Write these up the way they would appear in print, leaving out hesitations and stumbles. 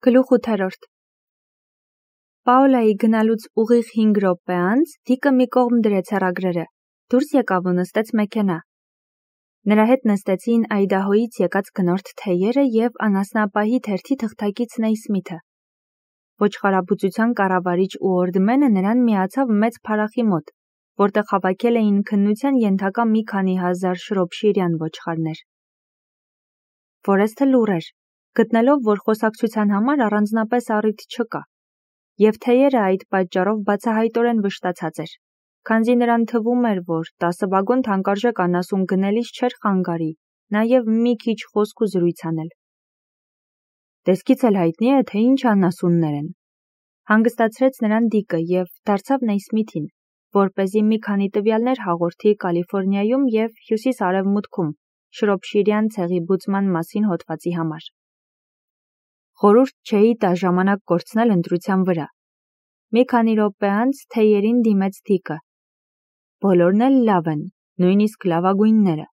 Գլուխ 8. Պաոլայի գնալուց ուղիղ 5 րոպե անց Դիկը մի կողմ դրեց հեռագրերը, դուրս եկավ ու նստեց մեքենա։ Նրա հետ նստեցին Այդահոյից եկած գնորդ թեյերը և անասնապահի թերթի թղթակից Նեյսմիթը։ Ոչխարաբուծության կառավարիչ ու օրդմենը նրան միացավ մեծ փարախի մոտ, որտեղ հավաքել էին քննության ենթակա մի քանի հազար շրոփշիրյան ոչխարներ։ Ֆորեսթը լուռ էր, գտնելով, որ խոսակցության համար առանձնապես առիթ չկա, և թեյերը այդ պատճառով բացահայտորեն վշտացած էր, քանզի նրան թվում էր, որ 10 վագոն թանկարժեք անասուն գնելիս չէր խանգարի նաև մի քիչ խոսք ու զրույց անել։ Տեսքից էլ հայտնի է, թե ինչ անասուններ են, հանգստացրեց նրան Դիկը և դարձավ Նեյսմիթին, որպեսզի մի քանի տվյալներ հաղորդի Կալիֆոռնիայում և հյուսիս-արևմուտքում շրոփշիրյան ցեղի բուծման մասին հոդվածի համար։ Խորհուրդ չէի տա ժամանակ կորցնել ընտրության վրա։ Մի քանի րոպե անց թեյերին դիմեց Դիկը։ Բոլորն էլ լավ են, նույնիսկ լավագույնները։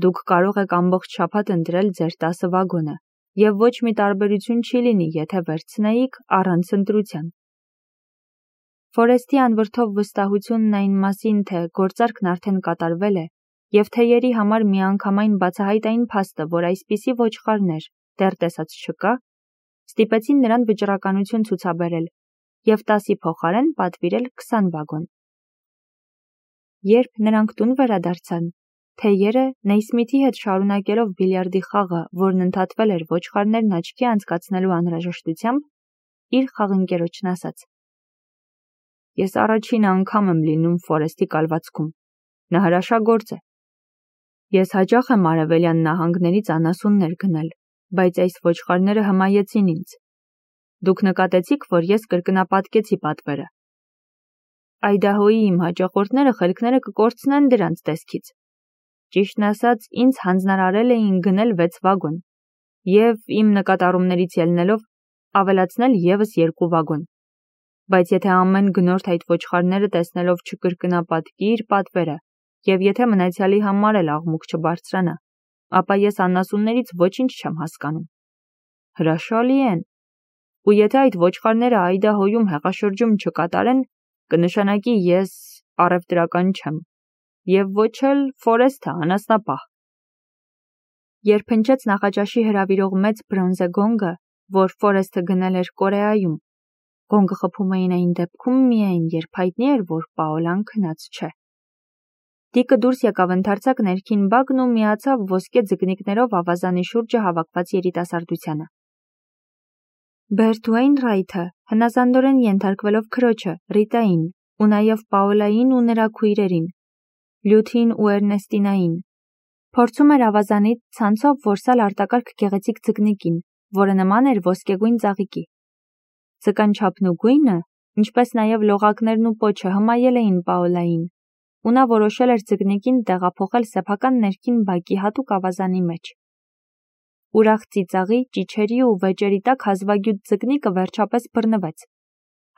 Դուք կարող եք ամբողջ շաբաթ ընտրել ձեր 10 վագոնը, և ոչ մի տարբերություն չի լինի, եթե վերցնեիք առանց ընտրության։ Ֆորեսթի անվրդով վստահությունն այն մասին, թե գործարքն արդեն կատարվել է, և թեյերի համար միանգամայն բացահայտ այն փաստը, որ այսպիսի ոչխարներ դեռ տեսած չկա, ստիպեցին նրան վճռականություն ցուցաբերել և 10-ի փոխարեն պատվիրել 20 վագոն։ Երբ նրանք տուն վերադարձան, թեյերը Նեյսմիթի հետ շարունակելով բիլիարդի խաղը, որն ընդհատվել էր ոչխարներն աչքի անցկացնելու անհրաժեշտությամբ, իր խաղընկերոջն ասաց. Ես առաջին անգամ եմ լինում Ֆորեսթի կալվածքում, նա հրաշագործ է։ Ես հաճախ եմ արևելյան նահանգներից անասուններ գնել, բայց այս ոչխարները հմայեցին ինձ։ Դուք նկատեցիք, որ ես կրկնապատկեցի պատվերը։ Այդահոյի իմ հաճախորդները խելքները կկորցնեն դրանց տեսքից։ Ճիշտն ասած, ինձ հանձնարարել էին գնել 6 վագոն և իմ նկատառումներից ելնելով ավելացնել ևս 2 վագոն։ Բայց եթե ամեն գնորդ այդ ոչխարները տեսնելով չկրկնապատկի իր պատվերը, և եթե մնացյալի համար էլ աղմուկ չբարձրանա, ապա ես անասուններից ոչինչ չեմ հասկանում։ Հրաշալի են։ Ու եթե այդ ոչխարները Այդահոյում հեղաշրջում չկատարեն, կնշանակի ես առևտրական չեմ, և ոչ էլ Ֆորեսթը անասնապահ։ Երբ հնչեց նախաճաշի հրավիրող մեծ բրոնզե գոնգը, որ Ֆորեսթը գնել էր Կորեայում, գոնգը խփում էին այն դեպքում միայն, երբ հայտնի էր, որ Պաոլան քնած չէ։ Դիկը դուրս եկավ ընդարձակ ներքին բակն ու միացավ ոսկե ձկնիկներով ավազանի շուրջը հավաքված երիտասարդությանը։ Բերտ Ուեյնրայթը հնազանդորեն ենթարկվելով քրոջը, Ռիտային, ու նաև Պաոլային ու նրա քույրերին, Լյութին ու Էրնեստինային, փորձում էր ավազանից ցանցով որսալ արտակարգ գեղեցիկ ձկնիկին, որը նման էր ոսկեգույն ծաղիկի։ Ձկան չափն ու գույնը, ինչպես նաև լողակներն ու պոչը հմայել էին Պաոլային, ու նա որոշել էր ձկնիկին տեղափոխել սեփական ներքին բակի հատուկ ավազանի մեջ։ Ուրախ ծիծաղի, ճիչերի ու վեճերի տակ հազվագյուտ ձկնիկը վերջապես բռնվեց,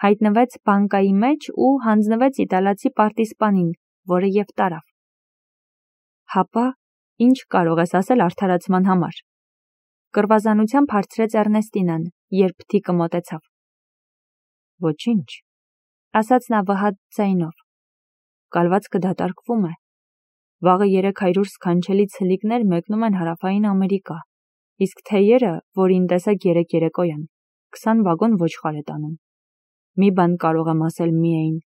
հայտնվեց բանկայի մեջ ու հանձնվեց իտալացի պարտիզպանին, որը և տարավ։ Հապա, ինչ կարող ես ասել արդարացման համար։ Կռվազանությամբ հարցրեց Էրնեստինան, երբ Դիկը մոտեցավ։ Ոչինչ, ասաց նա վհատ ձայնով։ Կալվածքը դատարկվում է։ Վաղը 300 սքանչելի ցլիկներ մեկնում են Հարավային Ամերիկա, իսկ թեյերը, որին տեսեք 3 երեկոյան, 20 վագոն ոչխար է տանում։ Մի բան կարող եմ ասել միայն.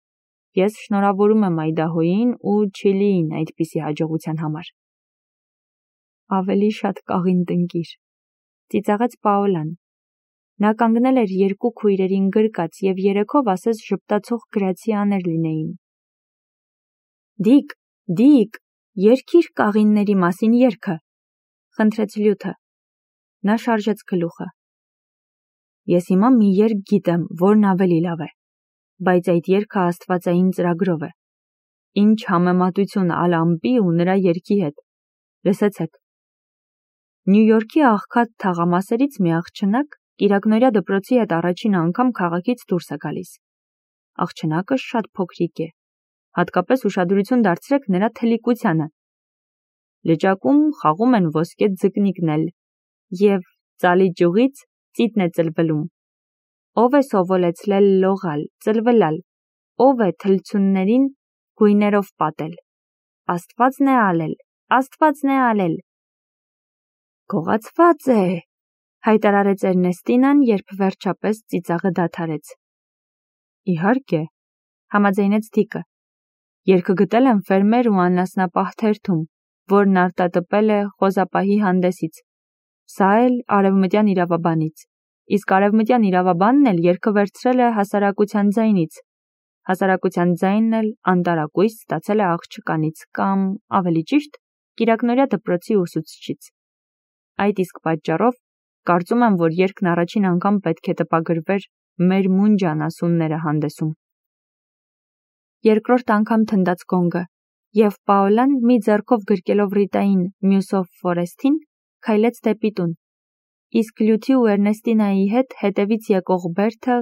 ես շնորհավորում եմ Այդահոյին ու Չիլիին այդպիսի հաջողության համար։ Ավելի շատ կաղին տնկիր, ծիծաղեց Պաոլան։ Նա կանգնել էր 2 քույրերին գրկած և երեքով ասես ժպտացող գրացիաներ լինեին։ Դիկ, երգիր կաղինների մասին երգը, խնդրեց Լյութը։ Նա շարժեց գլուխը։ Ես հիմա մի երգ գիտեմ, որն ավելի լավ է, բայց այդ երգը աստվածային ծրագրով է։ Ինչ համեմատություն Ալ-Ամպի ու նրա երգի հետ։ Լսեցեք։ Նյու Յորքի աղքատ թաղամասերից մի աղջնակ կիրակնօրյա դպրոցի հետ առաջին անգամ քաղաքից դուրս է գալիս։ Աղջնակը շատ փոքրիկ է, հատկապես ուշադրություն դարձրեք նրա թլիկությանը։ Լճակում խաղում են ոսկե ձկնիկն էլ, և ծալի ճյուղից ծիծն է ծլվլում։ Ով է սովորեցրել լողալ, ծլվլալ, ով է թլցուններին գույներով պատել։ Աստվածն է ալել, Աստվածն է ալել։ Գողացված է, հայտարարեց Էրնեստինան, երբ վերջապես ծիծաղը դադարեց։ Իհարկե, համաձայնեց Դիկը։ Երգը գտել եմ ֆերմեր ու անասնապահ թերթում, որն արտատպել է խոզապահի հանդեսից։ Սա էլ արևմտյան իրավաբանից, իսկ արևմտյան իրավաբանն էլ երգը վերցրել է հասարակության ձայնից։ Հասարակության ձայնն էլ անտարակույս ստացել է աղջկանից կամ, ավելի ճիշտ, կիրակնօրյա դպրոցի ուսուցչից։ Այդ իսկ պատճառով կարծում եմ, որ երգն առաջին անգամ պետք է տպագրվեր մեր մունջ անասունները հանդեսում։ Երկրորդ անգամ թնդաց գոնգը, և Պաոլան մի ձեռքով գրկելով Ռիտային, մյուսով Ֆորեսթին, քայլեց դեպի տուն, իսկ Լյութի ու Էրնեստինայի հետ հետևից եկող Բերթը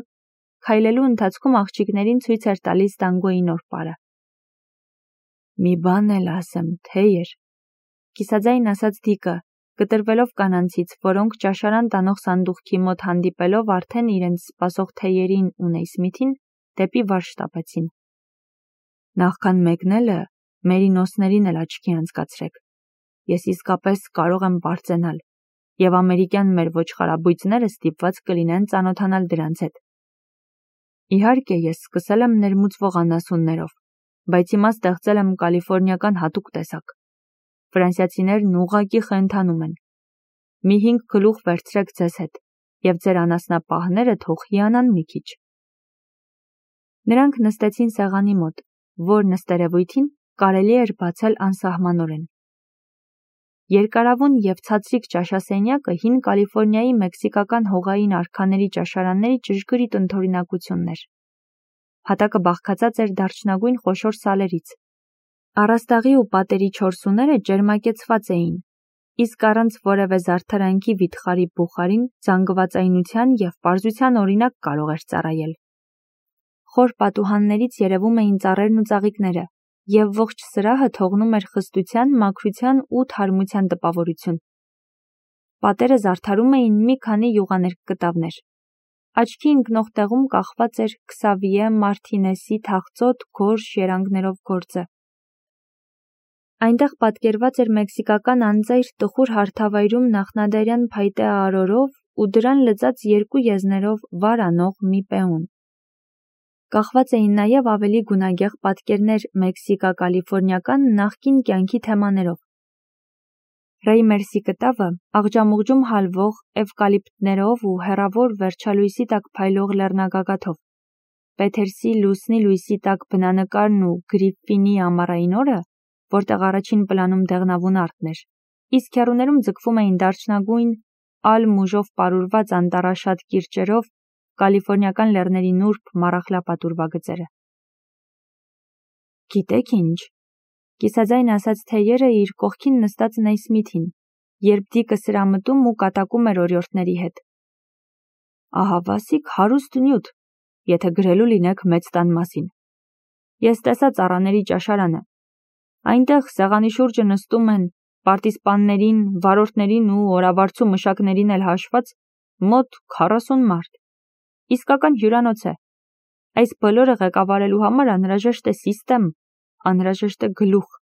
քայլելու ընթացքում աղջիկներին ցույց էր տալիս տանգոյի նոր պարը։ Մի բան էլ ասեմ, թեյեր, կիսաձայն ասաց Դիկը, կտրվելով կանանցից, որոնք ճաշարան տանող սանդուղքի մոտ հանդիպելով արդեն իրենց սպասող թեյերին ու Նեյսմիթին դեպի վար շտապեցին։ Նախքան մեկնելը մերինոսներին էլ աչքի անցկացրեք։ Ես իսկապես կարող եմ բարձենալ, և ամերիկյան մեր ոչխարաբույծները ստիպված կլինեն ծանոթանալ դրանց հետ։ Իհարկե, ես սկսել եմ ներմուծվող անասուններով, բայց հիմա ստեղծել եմ կալիֆորնիական հատուկ տեսակ։ Ֆրանսիացիներն ուղղակի խենթանում են։ Մի 5 գլուխ վերցրեք ձեզ հետ, և ձեր անասնապահները թող հիանան մի քիչ։ Նրանք նստեցին սեղանի մոտ, որն ըստ երևույթին կարելի էր բացել անսահմանորեն։ Երկարավուն և ցածրիկ ճաշասենյակը հին Կալիֆորնիայի մեքսիկական հողային արքաների ճաշարանների ճշգրիտ ընդօրինակությունն էր։ Հատակը բաղկացած էր դարչնագույն խոշոր սալերից։ Առաստաղի ու պատերի չորսուները ջերմակեցված էին, իսկ առանց որևէ զարդարանքի վիթխարի բուխարին զանգվածայնության և պարզության օրինակ կարող էր ծառայել։ Խոր պատուհաններից երևում էին ծառերն ու ծաղիկները, և ողջ սրահը թողնում էր խստության, մաքրության ու թարմության տպավորություն։ Պատերը զարդարում էին մի քանի յուղաներկ կտավներ։ Աչքի ընկնող տեղում կախված էր Քսավիե Մարտինեսի թախծոտ գորշ երանգներով գործը։ Այնտեղ պատկերված էր մեքսիկական անծայր տխուր հարթավայրում նախնադարյան փայտե արորով ու դրան լծած 2 եզներով վար անող մի պեոն։ Կախված էին նաև ավելի գունագեղ պատկերներ մեքսիկա-կալիֆորնիական նախկին կյանքի թեմաներով։ Ռեյմերսի կտավը աղջամուղջում հալվող էվկալիպտներով ու հեռավոր վերջալույսի տակ փայլող լեռնագագաթով, Փեթերսի լուսնի լույսի տակ բնանկարն ու Գրիֆֆինի ամառային օրը, որտեղ առաջին պլանում դեղնավուն արտն էր, իսկ հեռուներում ձգվում էին դարչնագույն ալ մուժով պարուրված անտառաշատ կիրճերով կալիֆորնիական լեռների նուրբ մառախլապատուրվագծերը։ Գիտեք ինչ, կիսաձայն ասաց թեյերը իր կողքին նստած Նեյսմիթին, երբ Դիկը սրամտում ու կատակում էր օրիորդների հետ։ Ահավասիկ հարուստ նյութ, եթե գրելու լինեք մեծ տան մասին։ Ես տեսա ծառաների ճաշարանը։ Այնտեղ սեղանի շուրջը նստում են պարտիզպաններին, վարորդներին ու օրավարձու մշակներին էլ հաշված մոտ 40 մարդ։ Իսկական հյուրանոց է։ Այս բոլորը ղեկավարելու համար անհրաժեշտ է սիստեմ, անհրաժեշտ է գլուխ։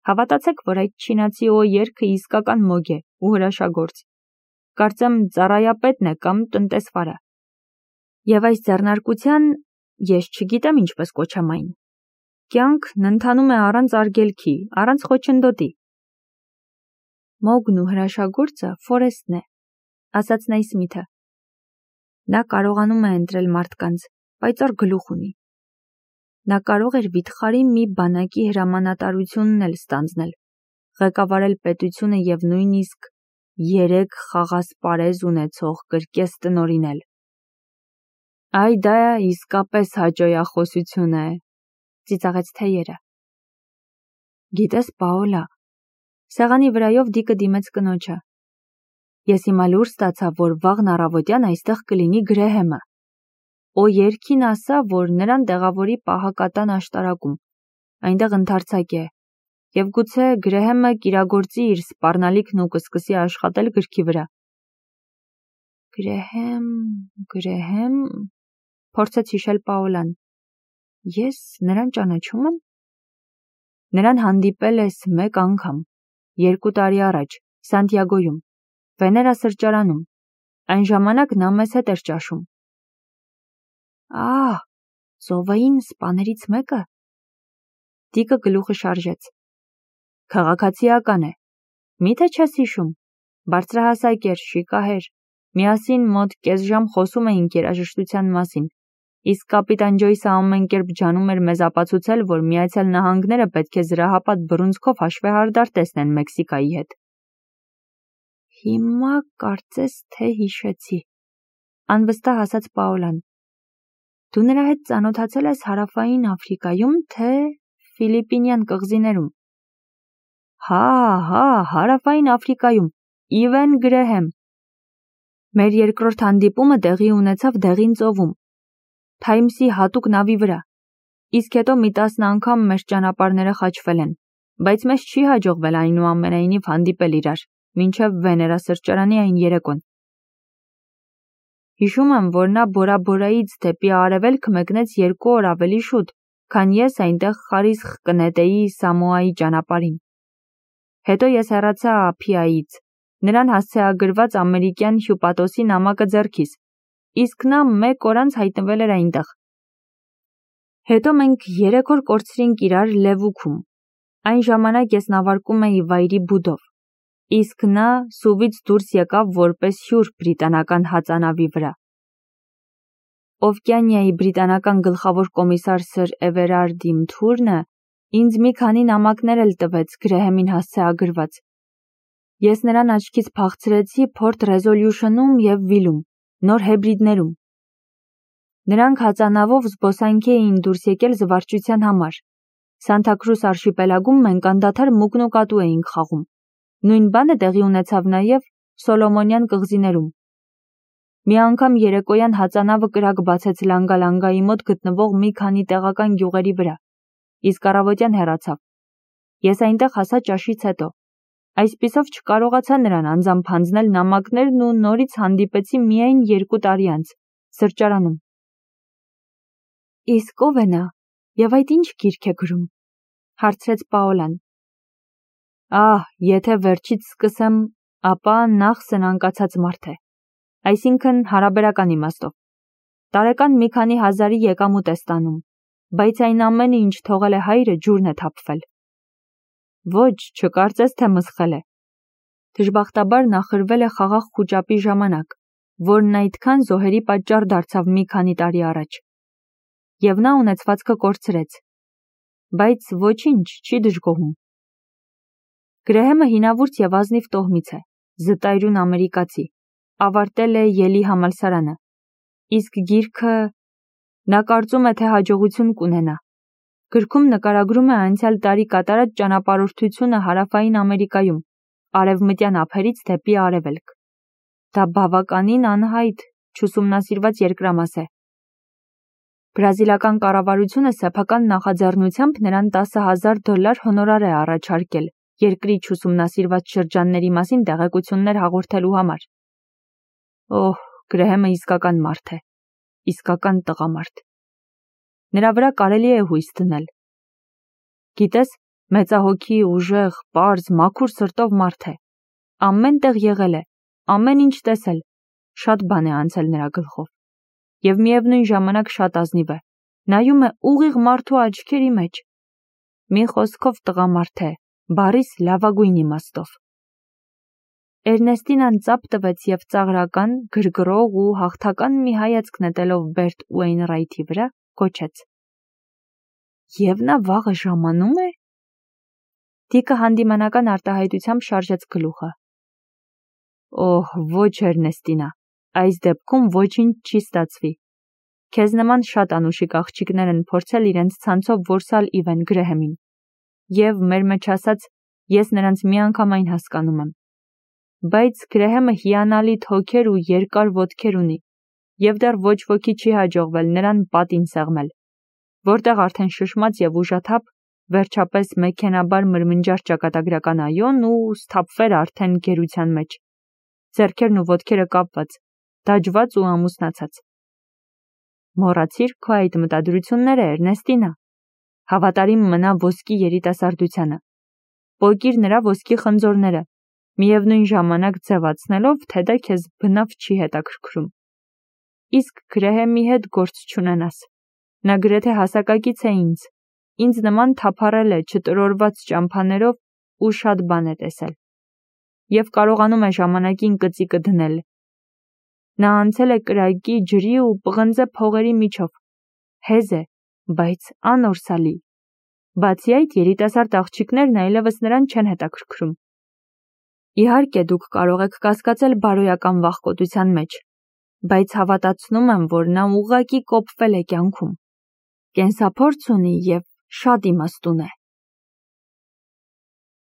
Հավատացեք, որ այդ չինացի երգը իսկական մոգ է ու հրաշագործ։ Կարծեմ ծառայապետն է կամ տնտեսվարը։ Եվ այս ձեռնարկության ես չգիտեմ ինչպես կոչեմ այն։ Կյանքն ընթանում է առանց արգելքի, առանց խոչընդոտի։ Մոգն ու հրաշագործը Ֆորեսթն է, ասաց Նեյսմիթը։ Նա կարողանում է ընտրել մարդկանց, պայծառ գլուխ ունի։ Նա կարող էր վիթխարի մի բանակի հրամանատարությունն էլ ստանձնել, ղեկավարել պետությունը և նույնիսկ 3 խաղասպարեզ ունեցող կրկես տնօրինել։ Այ դա իսկապես հաճոյախոսություն է, ծիծաղեց թեյերը։ Գիտես, Պաոլա, սեղանի վրայով Դիկը դիմեց կնոջը։ Ես հիմա լուր ստացա, որ վաղն առավոտյան այստեղ կլինի Գրեհեմը։ Երգին ասա, որ նրան տեղավորի պահակատան աշտարակում, այնտեղ ընդարձակ է, և գուցե Գրեհեմը կիրագործի իր սպառնալիքն ու կսկսի աշխատել գրքի վրա։ Գրեհեմ, փորձեց հիշել Պաոլան։ Ես նրան ճանաչում եմ։ Նրան հանդիպել ես մեկ անգամ, 2 տարի առաջ, Սանտիագոյում, Վեներա սրճարանում, այն ժամանակ նա մեզ հետ էր ճաշում։ Ահ, ծովային սպաներից մեկը։ Տիկը գլուխը շարժեց։ Քաղաքացիական է։ Միթե չես հիշում, բարձրահասակ էր, շիկահեր, միասին մոտ կես ժամ խոսում էինք երաժշտության մասին, իսկ կապիտան Ջոյսը ամեն կերպ ջանում էր մեզ ապացուցել, որ Միացյալ Նահանգները պետք է զրահապատ բռունցքով հաշվեհարդար տեսնեն Մեքսիկայի հետ։ Հիմա կարծես թե հիշեցի, անվստահ ասաց Պաոլան։ Դու նրա հետ ծանոթացել ես Հարավային Աֆրիկայում, թե Ֆիլիպինյան կղզիներում։ Հա, Հարավային Աֆրիկայում, Իվեն Գրեհեմ։ Մեր երկրորդ հանդիպումը տեղի ունեցավ Դեղին ծովում, Թայմսի հատուկ նավի վրա, իսկ հետո մի 10 անգամ մեր ճանապարհները խաչվել են, բայց մեզ չի հաջողվել այնուամենայնիվ հանդիպել իրար, մինչև Վեներա սրճարանի այն երեկոն։ Հիշում եմ, որ նա Բորաբորայից դեպի արևելք մեկնեց 2 օր ավելի շուտ, քան ես այնտեղ խարիսխ կնետեի Սամոայի ճանապարհին։ Հետո ես հեռացա Ափիայից, նրան հասցեագրված ամերիկյան հյուպատոսի նամակը ձեռքիս, իսկ նա 1 օր անց հայտնվել էր այնտեղ։ Հետո մենք 3 օր կորցրինք իրար Լևուքում, այն ժամանակ ես նավարկում էի վայրի բուդով, իսկ նա սուվից դուրս եկավ որպես հյուր բրիտանական հածանավի վրա։ Օվկիանիայի բրիտանական գլխավոր կոմիսար սր Էվերարդի Մթուրնը ինձ մի քանի նամակներ էլ տվեց Գրեհեմին հասցեագրված։ Ես նրան աչքից փախցրեցի Փորտ Ռեզոլյուշնում և Վիլում, նոր հեբրիդներում։ Նրանք հածանավով զբոսանքի էին դուրս եկել զվարճության համար։ Սանթա Քրուս արշիպելագում մենք անդադար մուկնուկատու էինք խաղում։ Նույն բանը տեղի ունեցավ նաև Սոլոմոնյան կղզիներում։ Մի անգամ երեկոյան հածանավը կրակ բացեց Լանգալանգայի մոտ գտնվող մի քանի տեղական գյուղերի վրա, իսկ առավոտյան հեռացավ։ Ես այնտեղ հասա ճաշից հետո։ Այսպիսով չկարողացա նրան անձամբ հանձնել նամակներն ու նորից հանդիպեցի միայն 2 տարի անց, սրճարանում։ Իսկ ով է նա, և այդ ինչ գիրք է գրում, հարցրեց Պաոլան։ Եթե վերջից սկսեմ, ապա նախ սնանկացած մարդ է, այսինքն հարաբերական իմաստով։ Տարեկան մի քանի հազարի եկամուտ է ստանում, բայց այն ամենը, ինչ թողել է հայրը, ջուրն է թափվել։ Ոչ, չկարծես, թե մսխել է։ Դժբախտաբար նա խրվել է խաղաղ խուճապի ժամանակ, որն այդքան զոհերի պատճառ դարձավ մի քանի տարի առաջ։ Եվ նա ունեցվածքը կորցրեց, բայց ոչինչ չի դժգոհում։ Գրեհեմը հինավուրց և ազնիվ տոհմից է, զտայրուն ամերիկացի, ավարտել է Յելի համալսարանը, իսկ գիրքը նա կարծում է, թե հաջողություն կունենա։ Գրքում նկարագրում է անցյալ տարի կատարած ճանապարհորդությունը Հարավային Ամերիկայում, արևմտյան ափերից դեպի արևելք։ Դա բավականին անհայտ, չուսումնասիրված երկրամաս է։ Բրազիլական կառավարությունը սեփական նախաձեռնությամբ նրան $10,000 հոնորար է առաջարկել երկրի չուսումնասիրված շրջանների մասին տեղեկություններ հաղորդելու համար։ Գրեհեմը իսկական մարդ է, իսկական տղամարդ։ Նրա վրա կարելի է հույս դնել։ Գիտես, մեծահոգի, ուժեղ, պարզ, մաքուր սրտով մարդ է։ Ամեն տեղ եղել է, ամեն ինչ տեսել, շատ բան է անցել նրա գլխով։ Եվ միևնույն ժամանակ շատ ազնիվ է, նայում է ուղիղ մարդու աչքերի մեջ։ Մի խոսքով տղամարդ է, բառիս լավագույն իմաստով։ Էրնեստինան ծափ տվեց և ծաղրական, գրգռող ու հաղթական մի հայացք նետելով Բերտ Ուեյնրայթի վրա, գոչեց. Եվ նա վաղը ժամանում է։ Դիկը հանդիմանական արտահայտությամբ շարժեց գլուխը։ Ոչ Էրնեստինա, այս դեպքում ոչինչ չի ստացվի։ Քեզ նման շատ անուշիկ աղջիկներ են փորձել իրենց ցանցով որսալ Իվեն Գրեհեմին։ Եվ մեր մեջ ասած, ես նրանց միանգամայն հասկանում եմ։ Բայց Գրեհեմը հիանալի թոքեր ու երկար ոտքեր ունի, և դեռ ոչ ոքի չի հաջողվել նրան պատին սեղմել, որտեղ արդեն շշմած և ուժաթափ, վերջապես մեքենաբար մրմնջար ճակատագրական այոն ու սթափվեր արդեն գերության մեջ, ձեռքերն ու ոտքերը կապված, դաջված ու ամուսնացած։ Մոռացիր քո այդ մտադրությունները, Էրնեստինա։ Հավատարիմ մնա ոսկի երիտասարդությանը։ Պոկիր նրա ոսկի խնձորները, միևնույն ժամանակ ձևացնելով, թե դա քեզ բնավ չի հետաքրքրում։ Իսկ Գրեհեմի հետ գործ չունենաս։ Նա գրեթե հասակակից է ինձ նման թափառել է չտրորված ճամփաներով ու շատ բան է տեսել։ Եվ կարողանում է ժամանակին կծիկը դնել։ Նա անցել է կրակի, ջրի ու պղնձե փողերի միջով։ Հեզ է, բայց անորսալի։ Բացի այդ, երիտասարդ աղջիկներն այլևս նրան չեն հետաքրքրում։ Իհարկե, դուք կարող եք կասկածել բարոյական վախկոտության մեջ, բայց հավատացնում եմ, որ նա ուղղակի կոփվել է կյանքում։ Կենսափորձ ունի և շատ իմաստուն է։